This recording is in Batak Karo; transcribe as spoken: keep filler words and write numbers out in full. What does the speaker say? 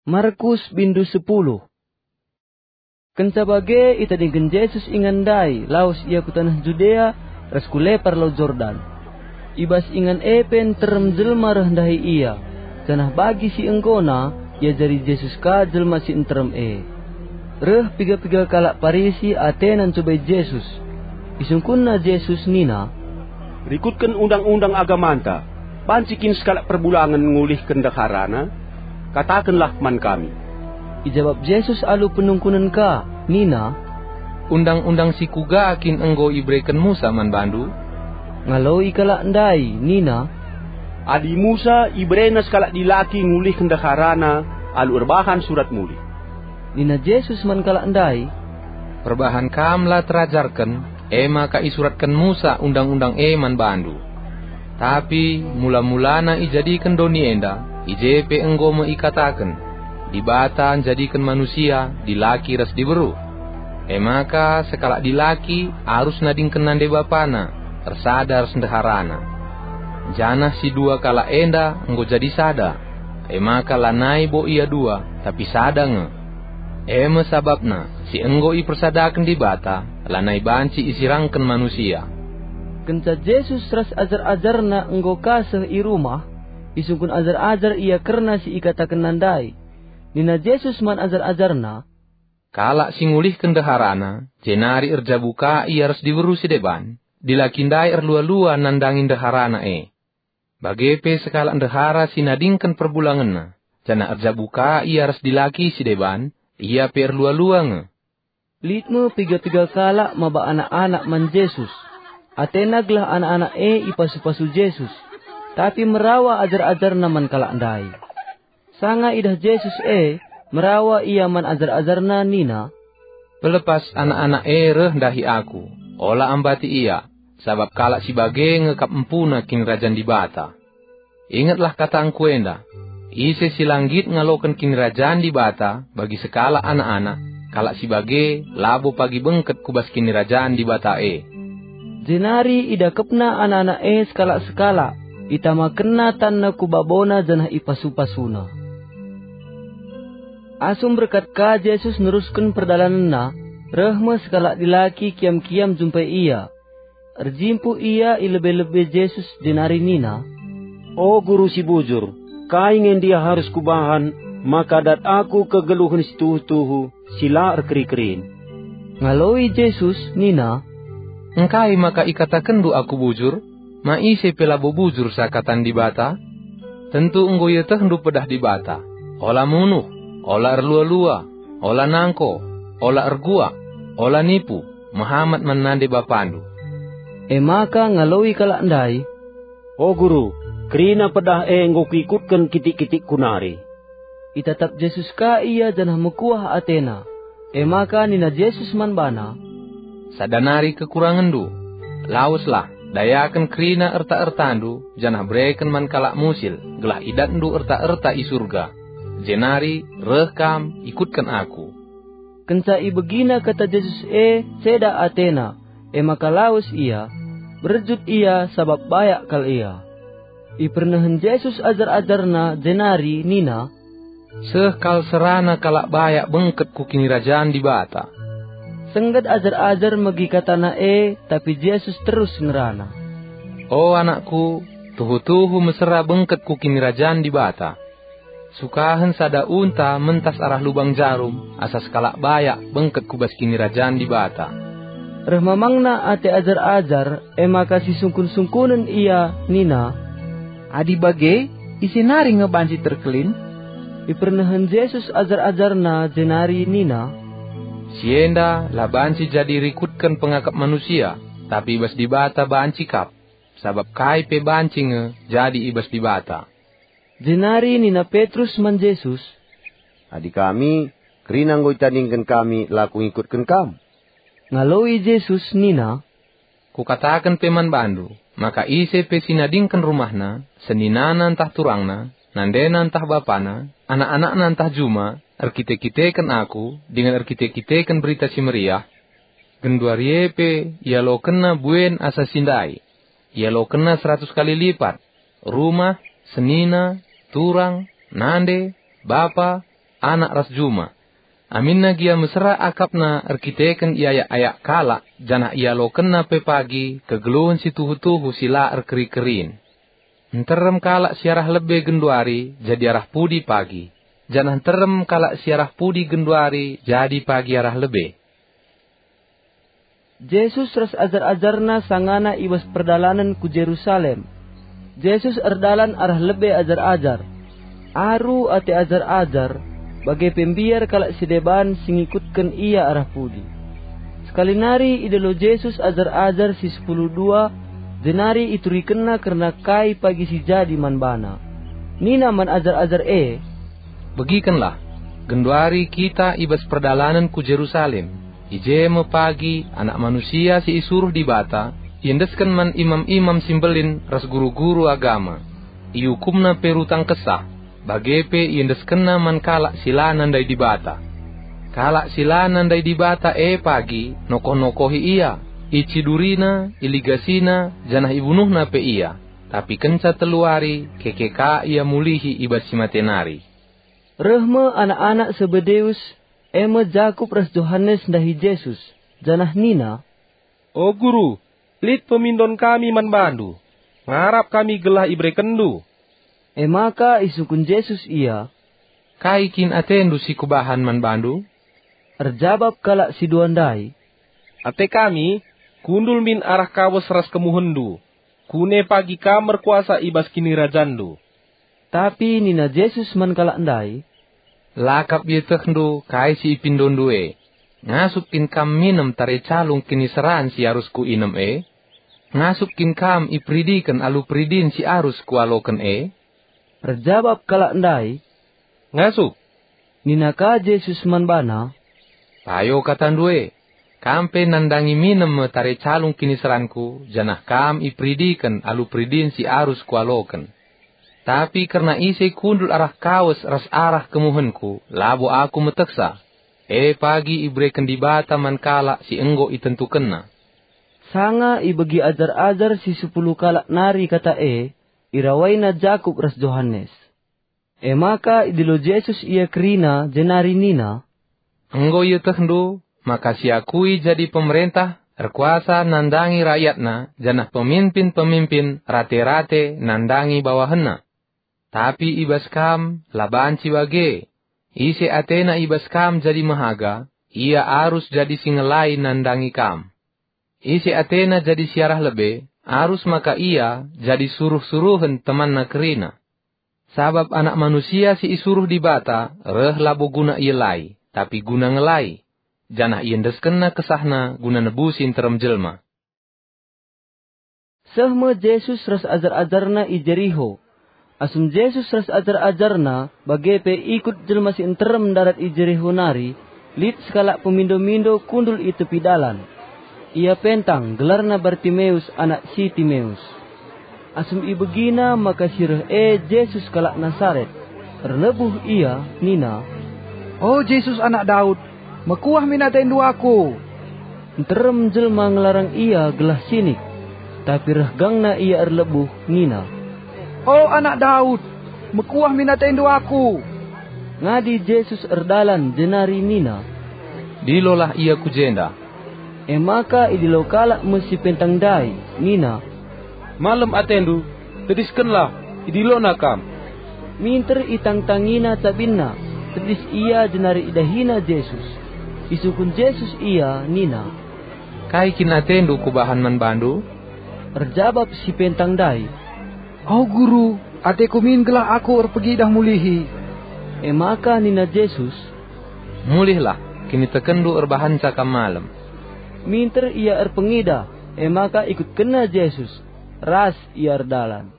Markus bindu sepuluh. Kenca bage itadingken Jesus ingan ndai lawes ia ku taneh Judea ras ku lepar Lau Jordan. I bas ingan e pe nterem jelma reh ndahi ia, janah bagi si enggona iajari Jesus ka jelma si nterem e. Reh piga-piga kalak Parisi atena ncubai Jesus. Isungkunna Jesus nina, "Rikutken undang-undang agamanta, banci kin sekalak perbulangen ngulihken ndeharana? Katakenlah man kami." Ijabap Jesus alu penungkunen ka, nina, "Undang-undang si kuga kin enggo ibereken Musa man bandu?" Ngaloi kalak ndai nina, "Adi Musa iberena sekalak dilaki ngulihken ndeharana alu erbahan surat mulih." Nina Jesus man kalak ndai, "Perbahan kam la terajarken, e maka isuratken Musa undang-undang e man bandu. Tapi mula-mulana ijadiken doni enda, i je pe enggo me ikataken, 'Dibata njadiken manusia dilaki ras diberu.' E maka sekalak dilaki arus nadingken nande bapana, ersada ras ndeharana. Janah si dua kalak enda enggo jadi sada, e maka lanai bo ia dua, tapi sada nge. E me sabapna si enggo ipersadaken Dibata lanai banci isirangken manusia." Kenca Jesus ras ajar-ajarNa enggo ka seh i rumah, isungkun ajar-ajar ia kerna si ikatakenNa ndai. Nina Jesus man ajar-ajarNa, "Kalak si ngulihken ndeharana, jenari erjabu ka ia ras diberu si deban, dilaki ndai erlua-lua nandangi ndeharana e. Bage pe sekalak ndehara si nadingken perbulangenna, janah erjabu ka ia ras dilaki si deban, ia pe erlua-lua nge." Lit me piga-piga kalak maba anak-anak man Jesus. Atena gelah anak-anak e ipasu-pasu Jesus, tapi merawa ajar-ajarNa man kalak ndai. Sanga idah Jesus e, merawa ia man ajar-ajarNa nina, "Pelepas anak-anak e reh ndahi Aku, ola ambati ia, sabap kalak si bage nge kap empuna Kinirajan Dibata. Ingetlah katangKu enda, ise si la nggit ngaloken Kinirajan Dibata bagi sekalak anak-anak, kalak si bage labo pagi bengket ku bas Kinirajan Dibata e." Jenari idakepna anak-anak e sekalak-sekalak, itamakenna tanna ku babona janah ipasu-pasuna. Asum berkat ka Jesus nerusken perdalanenNa, reh me sekalak dilaki kiam-kiam jumpai Ia. Erjimpuh ia i lebe-lebe Jesus jenari nina, "O Guru si bujur, kai nge ndia arus kubahan maka dat aku kegeluhen si tuhu-tuhu si la erkeri-kerin?" Ngaloi Jesus nina, "Engkai maka ikatakenndu Aku bujur? Ma ise pe labo bujur seakatan Dibata? Tentu enggo ietehndu pedah Dibata, 'Ola munuh, ola erlua-lua, ola nangko, ola erguak, ola nipu, mehamat man nande bapandu.'" E maka ngaloi kalak ndai, "O Guru, kerina pedah e enggo kuikutken kitik-kitikku nari." Itatap Jesus ka ia janah mekuah atena. E maka nina Jesus man bana, "Sada nari kekurangenndu. Laweslah, dayaken kerina erta-ertandu janah bereken man kalak musil, gelah idatndu erta-erta i Surga. Jenari reh kam, ikutken Aku." Kenca ibegina kata Jesus e, ceda atena, e maka lawes ia, berjut ia sabap bayak kal ia. Ipernehen Jesus ajar-ajarNa jenari nina, "Seh kal serana kalak bayak bengket ku Kinirajan Dibata." Sengget ajar-ajar megi kataNa e, tapi Jesus terus ngerana, "O anakku, tuhu-tuhu mesera bengket ku Kinirajan Dibata. Sukahen sada unta mentas arah lubang jarum asa sekalak bayak bengket ku bas Kinirajan Dibata." Reh mamangna ate ajar-ajar, e maka sisungkun-sungkunen ia nina, "Adi bage, ise nari nge banci terkelin?" Ipernehen Jesus ajar-ajarNa jenari nina, "Si enda la banci jadi rikutken pengakap manusia, tapi i bas Dibata banci kap, sabap kai pe banci nge jadi i bas Dibata." Jenari nina Petrus man Jesus, "Adi kami, kerina enggo itadingken kami la ku ngikutken Kam." Ngaloi Jesus nina, "Kukataken pe man bandu, maka ise pe si nadingken rumahna, seninana ntah turangna, nandena ntah bapana, anak-anakna ntah juma, erkite-kiteken Aku, dingen erkite-kiteken Berita Si Meriah, genduari e pe ialokenna buen asa si ndai, ialokenna seratus kali lipat, rumah, senina, turang, nande, bapa, anak ras juma. Aminna gia mesera akapna erkiteken iayak-ayak kalak, janah ialokenna pe pagi kegeluhen si tuhu-tuhu si la erkeri-kerin. Nterem kalak si arah lebe genduari jadi arah pudi pagi, janah nterem kalak si arah pudi genduari jadi pagi arah lebe. Jesus ras ajar-ajarNa sangana i bas perdalanen ku Jerusalem. Jesus erdalan arah lebe ajar-ajar. Aru ate ajar-ajar, bage pe mbiar kalak si deban si ngikutken IA arah pudi. Sekali nari idilo Jesus ajar-ajar si sepuluh dua, jenari iturikenNa kerna kai pagi si jadi man baNa. Nina man ajar-ajar e, "Begikenlah, genduari kita i bas perdalanen ku Jerusalem. I je me pagi Anak Manusia si isuruh Dibata iendesken man imam-imam si mbelin ras guru-guru agama. Iukumna pe rutang kesah, bage pe iendeskenna man kalak si la nandai Dibata. Kalak si la nandai Dibata e pagi nokoh-nokohi IA, icidurina, iligasina, janah ibunuhna pe IA. Tapi kenca telu wari, keke ka IA mulihi i bas si mate nari." Reh me anak-anak Sebedeus, e me Jakup ras Johanes ndahi Jesus, janah nina, "O Guru, lit pemindon kami man baNdu. Ngarap kami gelah iberekenNdu." E maka isungkun Jesus ia, "Kai kin atendu si kubahan man bandu?" Erjabap kalak si dua ndai, "Ate kami, kundul min arah kawes ras kemuhenNdu. Kune pagi Kam erkuasa i bas kinirajanNdu." Tapi nina Jesus man kalak ndai, "La kap ietehndu kai si ipindondu e. Ngasup kin kam minem tare calung kiniseran si arus kuinem e? Ngasup kin kam iperidiken alu peridin si arus kualoken e?" Erjabap kalak ndai, "Ngasup." Nina ka Jesus man bana, "Payo katandu e, kam pe nandangi minem me tare calung kiniseranKu, janah kam iperidiken alu peridin si arus Kualoken. Tapi kerna ise kundul arah kawes ras arah kemuhenKu, labo Aku metehsa. E pagi ibereken Dibata man kalak si enggo itentukenNa." Sanga ibegi ajar-ajar si sepuluh kalak nari kata e, irawaina Jakup ras Johanes. E maka idilo Jesus ia kerina jenari nina, "Enggo ietehndu maka si akui jadi pemerentah erkuasa nandangi rakyatna, janah peminpin-peminpin rate-rate nandangi bawahenna. Tapi i bas kam la banci bage. Ise atena i bas kam jadi mehaga, ia arus jadi si ngelai nandangi kam. Ise atena jadi si arah lebe, arus maka ia jadi suruh-suruhen temanna kerina. Sabap Anak Manusia si isuruh Dibata reh labo guna ielai, tapi guna ngelai, janah iendeskenNa kesahNa guna nebusi nterem jelma." Seh me Jesus ras ajar-ajarNa i Jeriho. Asum Jesus ras ajar-ajarNa bage pe ikut jelma si nterem ndarat i Jeriho nari, lit sekalak pemindo-mindo kundul i tepi dalan. Ia pentang, gelarna Bartimeus anak si Timeus. Asum ibegina maka si reh e Jesus kalak Nasaret, erlebuh ia nina, "O Jesus, Anak Daud, mekuah min atendu aku!" Nterem jelma ngelarang ia gelah sinik, tapi reh gangna ia erlebuh nina, "O Anak Daud, mekuah min atendu aku!" Ngadi Jesus erdalan jenari nina, "Dilolah ia ku jenda." E maka idilo kalak me si pentang ndai, nina, "Malem atendu, tediskenlah, idilona kam." Minter itangtangina cabinna, tedis ia jenari idahina Jesus. Isungkun Jesus ia nina, "Kai kin atendu kubahan man bandu?" Erjabap si pentang ndai, "O Guru, ateku min gelah aku erpegidah mulihi." E maka nina Jesus, "Mulihlah, kinitekenndu erbahanca kam malem." Minter ia erpengidah, e maka ikutkenna Jesus, ras ia erdalan.